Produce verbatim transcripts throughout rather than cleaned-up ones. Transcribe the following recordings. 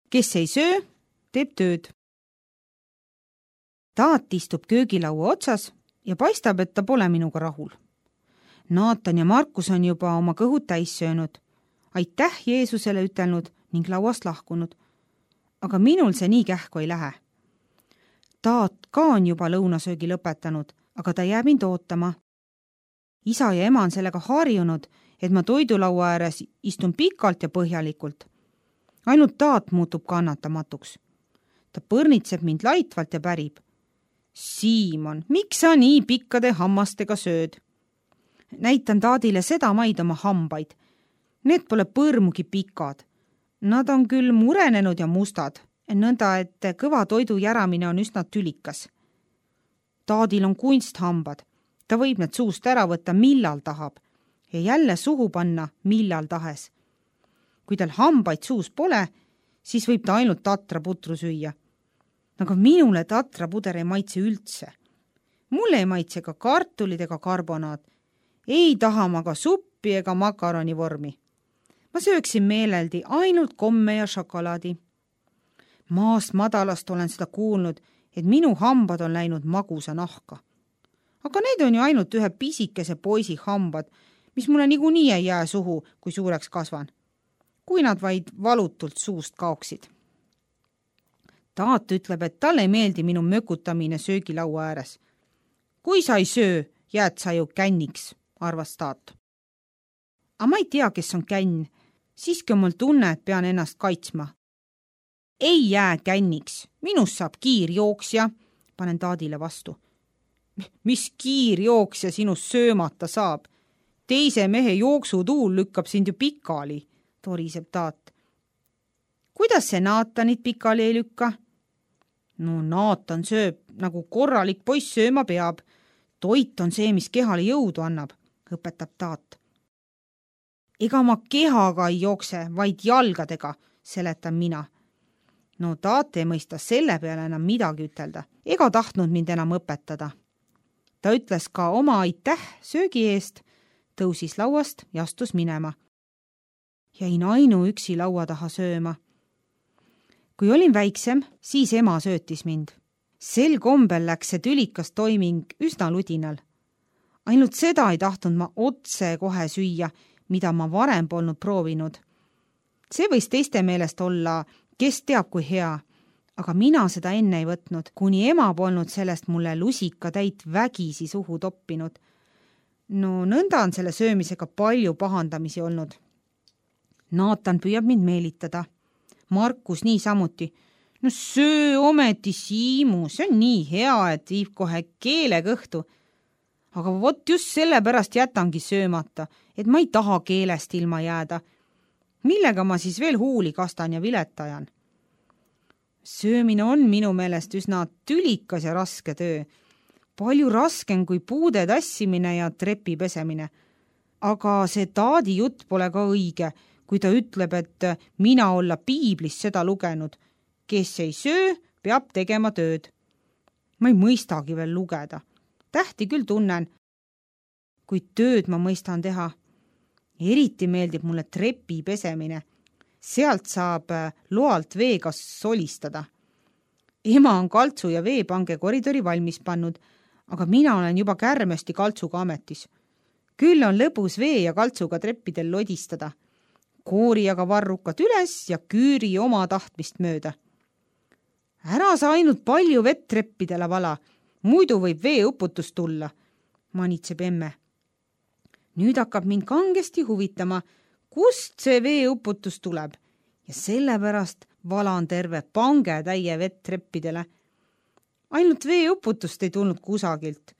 Kes ei söö, teeb tööd. Taat istub köögilaua otsas ja paistab, et ta pole minuga rahul. Naatan ja Markus on juba oma kõhud täis söönud, aitäh Jeesusele ütelnud ning lauast lahkunud. Aga minul see nii kähku ei lähe. Taat ka on juba lõunasöögi lõpetanud, aga ta jääb mind ootama. Isa ja ema on sellega harjunud, et ma toidulaua ääres istun pikalt ja põhjalikult. Ainult Taat muutub kannatamatuks. Ta põrnitseb mind laitvalt ja pärib. Siimon, miks sa nii pikkade hammastega sööd? Näitan Taadile seda maid oma hambaid. Need pole põrmugi pikad. Nad on küll murenenud ja mustad, nõnda, et kõva toidu järamine on üsna tülikas. Taadil on kunsthambad. Ta võib need suust ära võtta millal tahab ja jälle suhu panna millal tahes. Kui tal hambaid suus pole, siis võib ta ainult tatraputru süüa. Aga minule tatrapuder ei maitse üldse. Mulle ei maitse ka kartulid ega karbonaad. Ei taha ma ka suppi ega makaroni vormi. Ma sööksin meeleldi ainult komme ja šokolaadi. Maast madalast olen seda kuulnud, et minu hambad on läinud magusa nahka. Aga need on ju ainult ühe pisikese poisi hambad, mis mulle niikuinii ei jää suhu, kui suureks kasvan. Kui nad vaid valutult suust kaoksid. Taat ütleb, et talle ei meeldi minu mökutamine söögilaua ääres. Kui sa ei söö, jääd sa ju känniks, arvas Taat. Aga ma ei tea, kes on känn. Siiski on mul tunne, et pean ennast kaitsma. Ei jää känniks. Minust saab kiirjooksja, panen Taadile vastu. Mis kiirjooksja sinust söömata saab? Teise mehe jooksutuul lükkab sind ju pikali, toriseb Taat. Kuidas see Naatanit pikali ei lükka? No Naatan sööb, nagu korralik poiss sööma peab. Toit on see, mis kehale jõudu annab, õpetab Taat. Ega ma kehaga ei jookse, vaid jalgadega, seletan mina. No Taat ei mõista selle peale enam midagi ütelda, ega tahtnud mind enam õpetada. Ta ütles ka oma aitäh söögi eest, tõusis lauast ja astus minema. Jäin ainuüksi laua taha sööma. Kui olin väiksem, siis ema söötis mind. Sel kombel läks see tülikas toiming üsna ludinal. Ainult seda ei tahtnud ma otse kohe süüa, mida ma varem polnud proovinud. See võis teiste meelest olla, kes teab kui hea, aga mina seda enne ei võtnud, kuni ema polnud sellest mulle lusika täit vägisi suhu toppinud. No nõnda on selle söömisega palju pahandamisi olnud. Naatan püüab mind meelitada. Markus nii samuti. No söö ometi, Siimu, see on nii hea, et viib kohe keele kõhtu. Aga vot just sellepärast jätangi söömata, et ma ei taha keelest ilma jääda. Millega ma siis veel huuli kastan ja viletajan? Söömine on minu meelest üsna tülikas ja raske töö. Palju raskem kui puude tassimine ja trepi pesemine. Aga see Taadi jutt pole ka õige, kui ta ütleb, et mina olla piiblis seda lugenud. Kes ei söö, peab tegema tööd. Ma ei mõistagi veel lugeda. Tähti küll tunnen, kui tööd ma mõistan teha. Eriti meeldib mulle trepi pesemine. Sealt saab loalt veega solistada. Ema on kaltsu ja veepange koridori valmis pannud, aga mina olen juba kärmesti kaltsuga ametis. Küll on lõbus vee ja kaltsuga treppidel lodistada. Koori aga varrukad üles ja küüri oma tahtmist mööda. Ära sa ainult palju vett treppidele vala, muidu võib veeuputus tulla, manitseb emme. Nüüd hakkab mind kangesti huvitama, kust see veeuputus tuleb ja sellepärast valan terve pange täie vett treppidele. Ainult veeuputust ei tulnud kusagilt.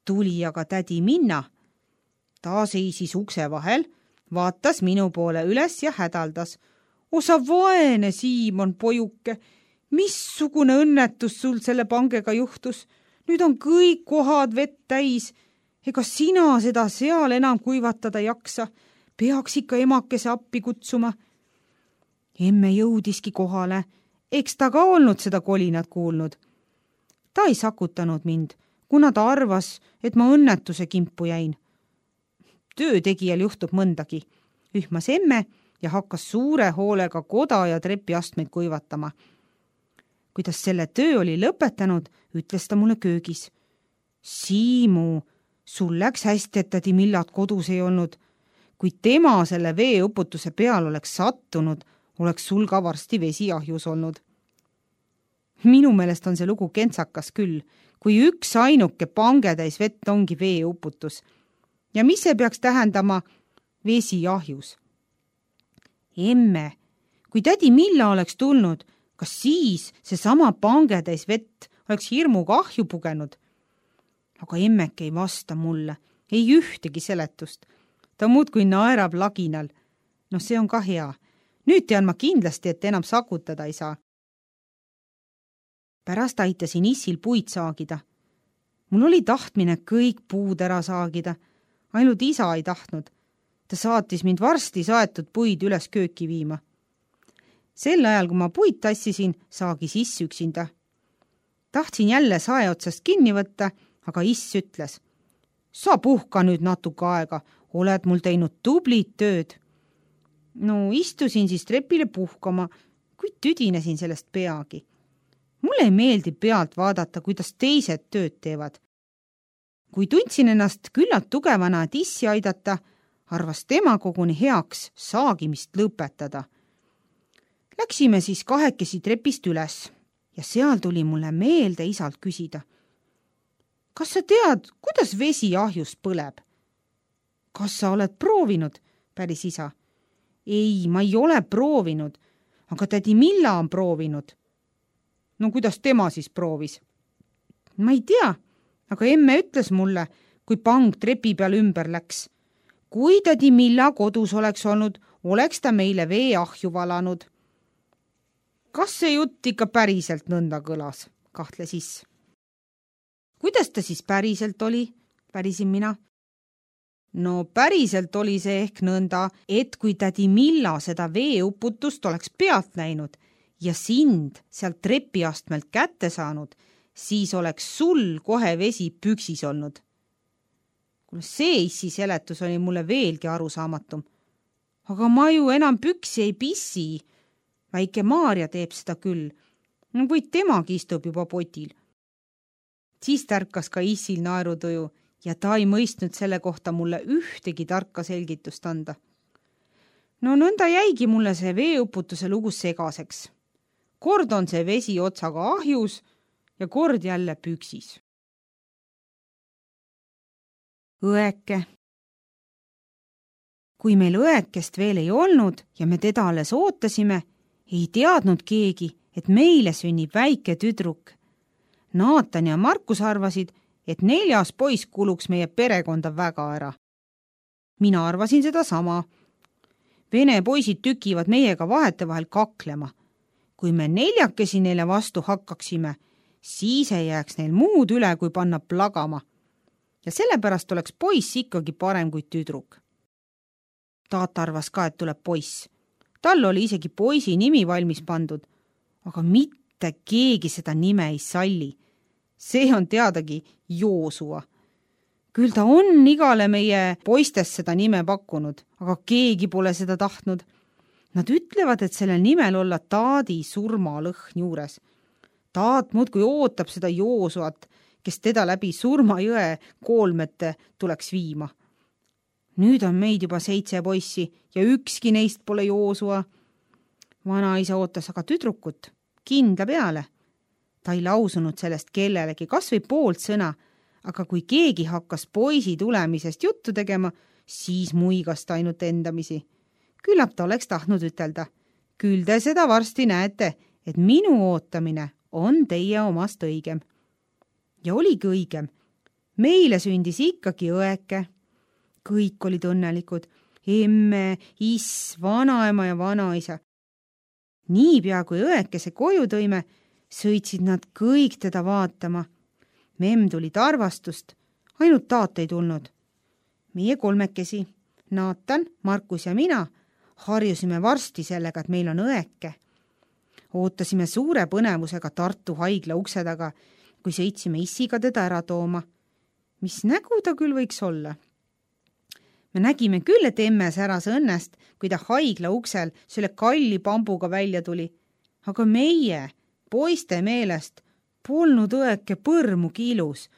Tuli aga tädi Minna. Ta seisis ukse vahel, vaatas minu poole üles ja hädaldas. Osa vaene Siimon, pojuke, missugune õnnetus sul selle pangega juhtus? Nüüd on kõik kohad vett täis. Ega sina seda seal enam kuivatada jaksa? Peaks ikka emakese appi kutsuma. Emme jõudiski kohale. Eks ta ka olnud seda kolinat kuulnud. Ta ei sakutanud mind, kuna ta arvas, et ma õnnetuse kimpu jäin. Töötegijal juhtub mõndagi, ühmas emme ja hakkas suure hoolega koda ja trepiastmeid kuivatama. Kuidas selle töö oli lõpetanud, ütles ta mulle köögis. Siimu, sul läks hästi, et tädi Millat kodus ei olnud. Kui tema selle veeuputuse peal oleks sattunud, oleks sul ka varsti vesi ahjus olnud. Minu meelest on see lugu kentsakas küll, kui üks ainuke pangetäis vett ongi veeuputus. Ja mis see peaks tähendama vesi ahjus? Emme, kui tädi Milla oleks tulnud, kas siis see sama pangetäis vett oleks hirmuga ahju pugenud? Aga emmeke ei vasta mulle, ei ühtegi seletust. Ta muudkui naerab laginal. No see on ka hea. Nüüd tean ma kindlasti, et enam sakutada ei saa. Pärast aitasin issil puid saagida. Mul oli tahtmine kõik puud ära saagida. Ainult isa ei tahtnud. Ta saatis mind varsti saetud puid üles kööki viima. Sel ajal, kui ma puid tassisin, saagis iss üksinda. Tahtsin jälle sae otsast kinni võtta, aga iss ütles. Sa puhka nüüd natuke aega, oled mul teinud tublit tööd. No istusin siis trepile puhkama, kuid tüdinesin sellest peagi. Mulle ei meeldi pealt vaadata, kuidas teised tööd teevad. Kui tundsin ennast küllalt tugevana, et issi aidata, arvas tema koguni heaks saagimist lõpetada. Läksime siis kahekesi trepist üles ja seal tuli mulle meelde isalt küsida. Kas sa tead, kuidas vesi ahjus põleb? Kas sa oled proovinud, päris isa? Ei, ma ei ole proovinud, aga tädi Milla on proovinud. No kuidas tema siis proovis? Ma ei tea, aga emme ütles mulle, kui pang trepi peal ümber läks. Kui tädi Milla kodus oleks olnud, oleks ta meile vee ahju valanud. Kas see jutt ikka päriselt nõnda kõlas, kahtles iss. Kuidas ta siis päriselt oli, pärisin mina? No päriselt oli see ehk nõnda, et kui tädi Milla seda veeuputust oleks pealt näinud ja sind sealt trepiastmelt kätte saanud, siis oleks sul kohe vesi püksis olnud. See issi seletus oli mulle veelgi arusaamatum. Aga ma ju enam püksi ei pissi. Väike Maarja teeb seda küll, kuid temagi istub juba potil. Siis tärkas ka issil naerutuju ja ta ei mõistnud selle kohta mulle ühtegi tarka selgitust anda. No nõnda jäigi mulle see veeuputuse lugu segaseks. Kord on see vesi otsaga ahjus ja kord jälle püksis. Õeke. Kui meil õekest veel ei olnud ja me teda alles ootasime, ei teadnud keegi, et meile sünnib väike tüdruk. Naatan ja Markus arvasid, et neljas poiss kuluks meie perekonda väga ära. Mina arvasin seda sama. Vene poisid tükivad meiega vahetevahel kaklema. Kui me neljakesi neile vastu hakkaksime, siis ei jääks neil muud üle, kui panna plagama. Ja sellepärast oleks poiss ikkagi parem kui tüdruk. Taat arvas ka, et tuleb poiss. Tal oli isegi poisi nimi valmis pandud, aga mitte keegi seda nime ei salli. See on teadagi Joosua. Küll ta on igale meie poistest seda nime pakkunud, aga keegi pole seda tahtnud. Nad ütlevad, et sellel nimel olla Taadi surmalõhn juures. Taat muudkui ootab seda Joosuat, kes teda läbi surmajõe koolmete tuleks viima. Nüüd on meid juba seitse poissi ja ükski neist pole Joosua. Vanaisa ootas aga tüdrukut kindla peale. Ta ei lausunud sellest kellelegi kas või poolt sõna, aga kui keegi hakkas poisi tulemisest juttu tegema, siis muigas ta ainult endamisi. Küllap ta oleks tahtnud ütelda. Küll te seda varsti näete, et minu ootamine on teie omast õigem. Ja oligi õigem. Meile sündis ikkagi õeke. Kõik olid õnnelikud. Emme, iss, vanaema ja vanaisa. Niipea kui õekese koju tõime, sõitsid nad kõik teda vaatama. Memm tulid arvastust, ainult taat ei tulnud. Meie kolmekesi, Naatan, Markus ja mina, harjusime varsti sellega, et meil on õeke. Ootasime suure põnevusega Tartu haigla ukse taga, kui sõitsime issiga teda ära tooma. Mis nägu ta küll võiks olla? me nägime küll, et emme säras õnnest, kui ta haigla uksel selle kalli pambuga välja tuli. Aga meie, poiste meelest, polnud õeke põrmugi ilus.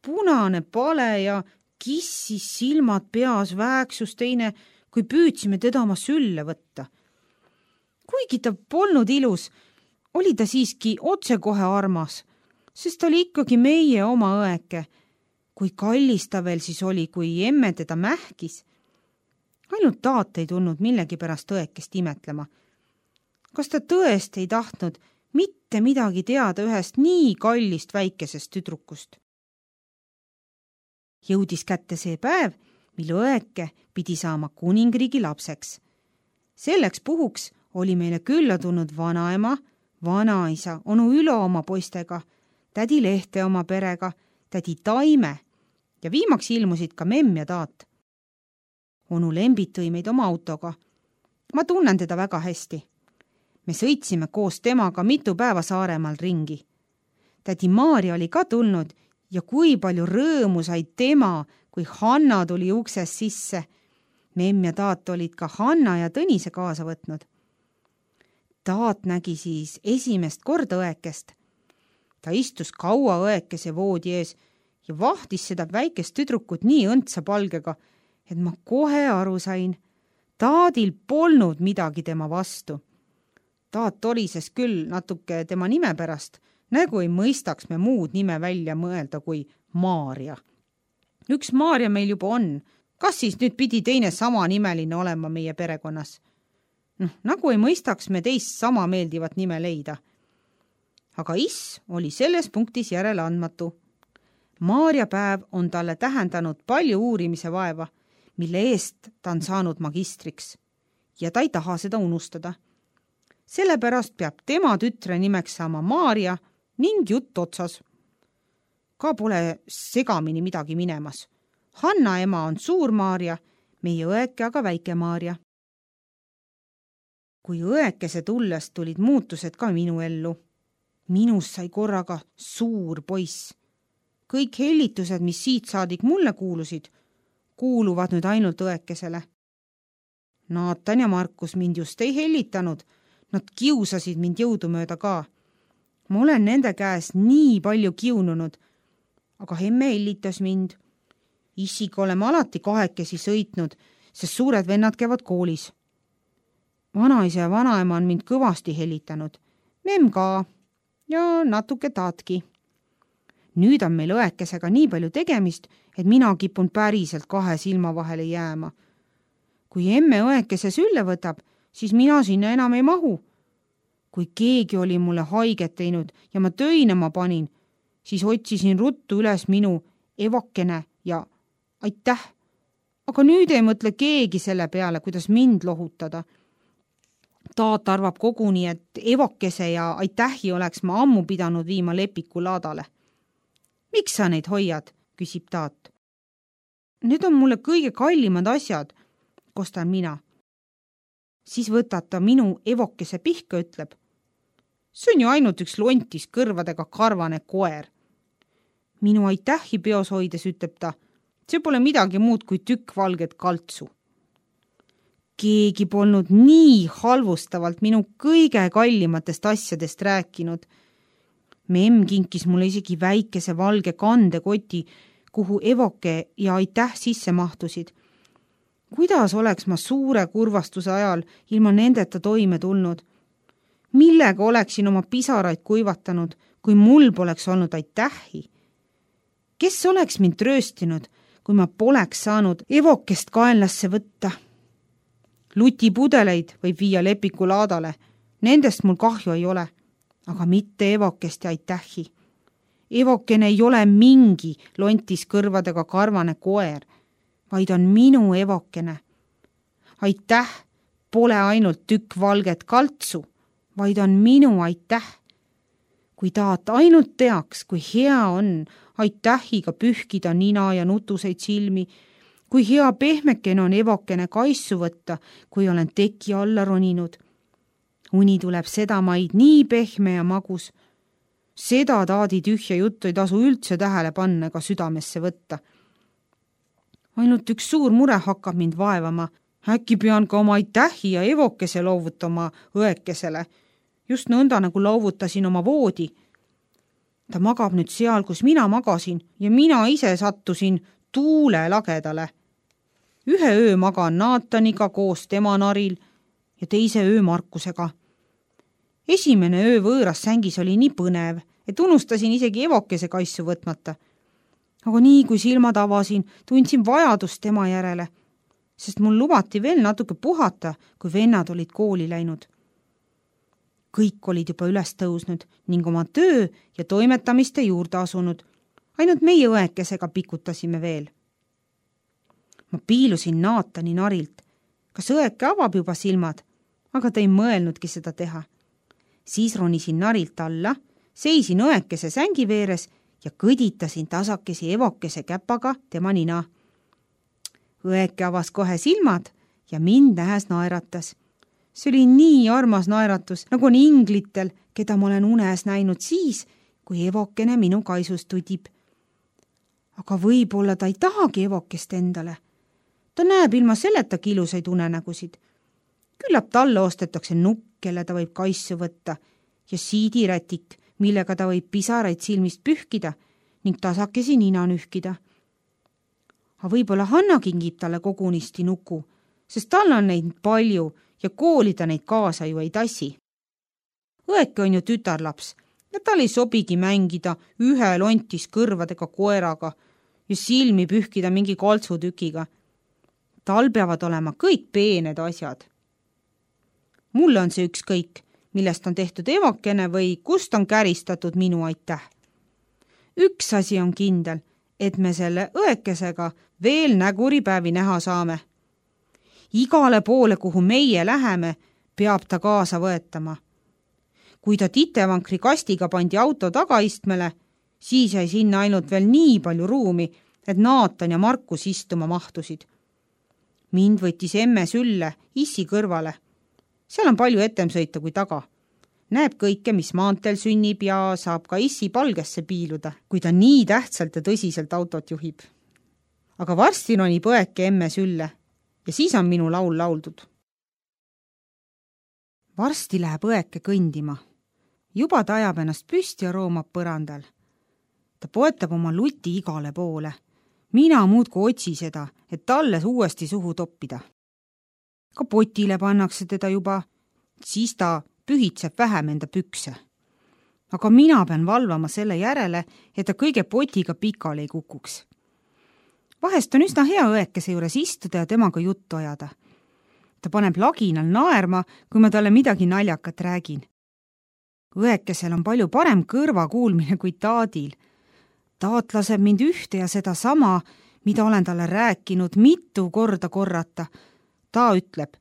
Punane pale ja kissis silmad peas vääksus teine, kui püüdsime teda oma sülle võtta. Kuigi ta polnud ilus, oli ta siiski otsekohe armas, sest ta oli ikkagi meie oma õeke. Kui kallis ta veel siis oli, kui emme teda mähkis. Ainult taat ei tulnud millegi pärast õekest imetlema. Kas ta tõesti ei tahtnud mitte midagi teada ühest nii kallist väikesest tüdrukust? Jõudis kätte see päev, mil õeke pidi saama kuningriigi lapseks. Selleks puhuks oli meile külla tulnud vanaema, vanaisa, onu Ülo oma poistega, tädi Lehte oma perega, tädi Taime ja viimaks ilmusid ka memm ja taat. Onu Lembit tõi meid oma autoga. Ma tunnen teda väga hästi. Me sõitsime koos temaga mitu päeva Saaremaal ringi. Tädi Maarja oli ka tulnud ja kui palju rõõmu sai tema, kui Hanna tuli ukses sisse. Memm ja taat olid ka Hanna ja Tõnise kaasa võtnud. Taat nägi siis esimest korda õekest. Ta istus kaua õekese voodi ees ja vahtis seda väikest tüdrukut nii õndsa palgega, et ma kohe aru sain. Taadil polnud midagi tema vastu. Taat torises küll natuke tema nime pärast, nagu ei mõistaks me muud nime välja mõelda kui Maarja. Üks Maarja meil juba on. Kas siis nüüd pidi teine sama nimeline olema meie perekonnas? Noh, nagu ei mõistaks me teist sama meeldivat nime leida. Aga is oli selles punktis järele andmatu. Maarja päev on talle tähendanud palju uurimise vaeva, mille eest ta on saanud magistriks. Ja ta ei taha seda unustada. Sellepärast peab tema tütre nimeks saama Maarja ning jutt otsas. Ka pole segamini midagi minemas. Hanna ema on suur Maarja, meie õeke aga väike Maarja. Kui õekese tulles tulid muutused ka minu ellu. Minust sai korraga suur poiss. Kõik hellitused, mis siit saadik mulle kuulusid, kuuluvad nüüd ainult õekesele. Naatan ja Markus mind just ei hellitanud. Nad kiusasid mind jõudumööda ka. Ma olen nende käes nii palju kiununud, aga emme hellitas mind. Issiga oleme alati kahekesi sõitnud, sest suured vennad käivad koolis. Vanaisa ja vanaema on mind kõvasti hellitanud. Memm ka ja natuke taatki. Nüüd on meil õekesega nii palju tegemist, et mina kipun päriselt kahe silma vahele jääma. Kui emme õekese sülle võtab, siis mina sinna enam ei mahu. Kui keegi oli mulle haiget teinud ja ma töinema panin, siis otsisin ruttu üles minu evokene ja aitäh. Aga nüüd ei mõtle keegi selle peale, kuidas mind lohutada. Taat arvab koguni, et evokese ja aitähi oleks ma ammu pidanud viima Lepiku laadale. Miks sa neid hoiad, küsib taat. Need on mulle kõige kallimad asjad, kostan mina. Siis võtab ta minu evokese pihka, ütleb. See on ju ainult üks lontis kõrvadega karvane koer. Minu aitähi peos hoides, ütleb ta. See pole midagi muud kui tükk valget kaltsu. Keegi polnud nii halvustavalt minu kõige kallimatest asjadest rääkinud. Memm kinkis mulle isegi väikese valge kandekoti, kuhu evoke ja aitäh sisse mahtusid. Kuidas oleks ma suure kurvastuse ajal ilma nendeta toime tulnud? Millega oleksin oma pisaraid kuivatanud, kui mul poleks olnud aitähi? Kes oleks mind trööstinud, kui ma poleks saanud evokest kaenlasse võtta? Lutipudeleid võib viia Lepiku laadale. Nendest mul kahju ei ole, aga mitte evokest ja aitähi. Evokene ei ole mingi lontis kõrvadega karvane koer, vaid on minu evokene. Aitäh pole ainult tükk valget kaltsu, vaid on minu aitäh. Kui taat ainult teaks, kui hea on aitähiga pühkida nina ja nutuseid silmi, kui hea pehmekene on evokene kaissu võtta, kui olen teki alla roninud. Uni tuleb seda maid nii pehme ja magus. Seda taadi tühja juttu ei tasu üldse tähele panna ega südamesse võtta. ainult üks suur mure hakkab mind vaevama. Äkki pean ka oma aitähi ja evokese loovutama õekesele. Just nõnda, nagu loovutasin oma voodi. Ta magab nüüd seal, kus mina magasin ja mina ise sattusin tuule lagedale. Ühe öö magan Naataniga koos tema naril ja teise öö Markusega. Esimene öö võõras sängis oli nii põnev, et unustasin isegi evokese kaisu võtmata. Aga nii kui silmad avasin, tundsin vajadust tema järele, sest mul lubati veel natuke puhata, kui vennad olid kooli läinud. Kõik olid juba üles tõusnud ning oma töö ja toimetamiste juurde asunud. Ainult meie õekesega pikutasime veel. Ma piilusin Naatani narilt. Kas õeke avab juba silmad? Aga ta ei mõelnudki seda teha. Siis ronisin narilt alla, seisin õekese sängi veeres ja kõditasin tasakesi evokese käpaga tema nina. Õeke avas kohe silmad ja mind nähes naeratas. See oli nii armas naeratus, nagu on inglitel, keda ma olen unes näinud siis, kui evokene minu kaisus tudib. Aga võib-olla ta ei tahagi evokest endale. Ta näeb ilma selletagi ilusaid unenägusid. Küllap talle ostetakse nukk, kelle ta võib kaisu võtta, ja siidirätik, millega ta võib pisaraid silmist pühkida ning tasakesi nina nühkida. Aga võib-olla Hanna kingib talle kogunisti nuku, sest tal on neid palju ja kooli ta neid kaasa ju ei tassi. Õeke on ju tütarlaps ja tal ei sobigi mängida ühe lontis kõrvadega koeraga ja silmi pühkida mingi koltsutükiga. Tal peavad olema kõik peened asjad. Mulle on see ükskõik, millest on tehtud evokene või kust on käristatud minu aitäh. Üks asi on kindel, et me selle õekesega veel näguripäevi näha saame. Igale poole, kuhu meie läheme, peab ta kaasa võetama. Kui ta titevankri kastiga pandi auto tagaistmele, siis jäi sinna ainult veel nii palju ruumi, et Naatan ja Markus istuma mahtusid. Mind võttis emme sülle issi kõrvale. Seal on palju etem sõita kui taga. Näeb kõike, mis maanteel sünnib ja saab ka issi palgesse piiluda, kui ta nii tähtsalt ja tõsiselt autot juhib. Aga varsti ronib õeke emme sülle ja siis on minu laul lauldud. Varsti läheb õeke kõndima. Juba ta ajab ennast püsti ja roomab põrandal. Ta poetab oma luti igale poole. Mina muudku otsi seda, et talle uuesti suhu toppida. Ka potile pannakse teda juba, siis ta pühitseb vähem enda pükse. Aga mina pean valvama selle järele, et ta kõige potiga pikali ei kukuks. Vahest on üsna hea õekese juures istuda ja temaga juttu ajada. Ta paneb laginal naerma, kui ma talle midagi naljakat räägin. Õekesel on palju parem kõrvakuulmine kui Taadil. Taat laseb mind ühte ja seda sama, mida olen talle rääkinud mitu korda korrata. Ta ütleb,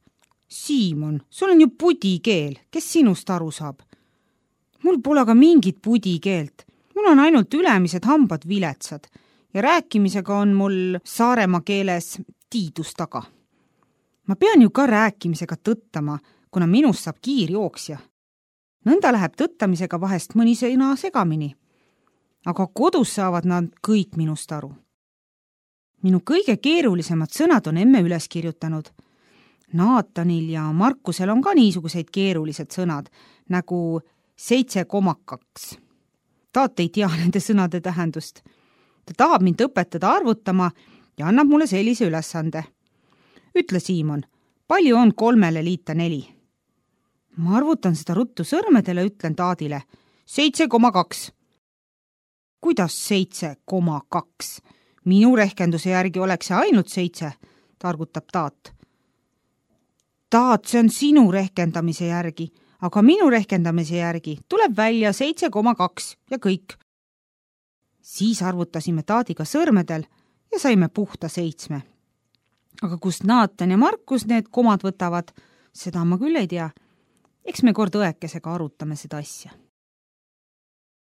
Siimon, sul on ju pudikeel, kes sinust aru saab? Mul pole ka mingit pudikeelt. Mul on ainult ülemised hambad viletsad ja rääkimisega on mul Saaremaa keeles tiidus taga. Ma pean ju ka rääkimisega tõttama, kuna minust saab kiirjooksja. Nõnda läheb tõttamisega vahest mõni sõna segamini. Aga kodus saavad nad kõik minust aru. Minu kõige keerulisemad sõnad on emme üles kirjutanud. Naatanil ja Markusel on ka niisuguseid keerulised sõnad, nagu seitse koma kaks. Taat ei tea nende sõnade tähendust. Ta tahab mind õpetada arvutama ja annab mulle sellise ülesande. Ütle, Siimon, palju on kolmele liita neli? Ma arvutan seda ruttu sõrmedele, ütlen Taadile. seitse koma kaks. Kuidas seitse koma kaks? Minu rehkenduse järgi oleks see ainult seitse, targutab Taat. Taat, see on sinu rehkendamise järgi, aga minu rehkendamise järgi tuleb välja seitse koma kaks ja kõik. Siis arvutasime Taadiga sõrmedel ja saime puhta seitsme. Aga kust Naatan ja Markus need komad võtavad, seda ma küll ei tea. Eks me kord õekesega arutame seda asja.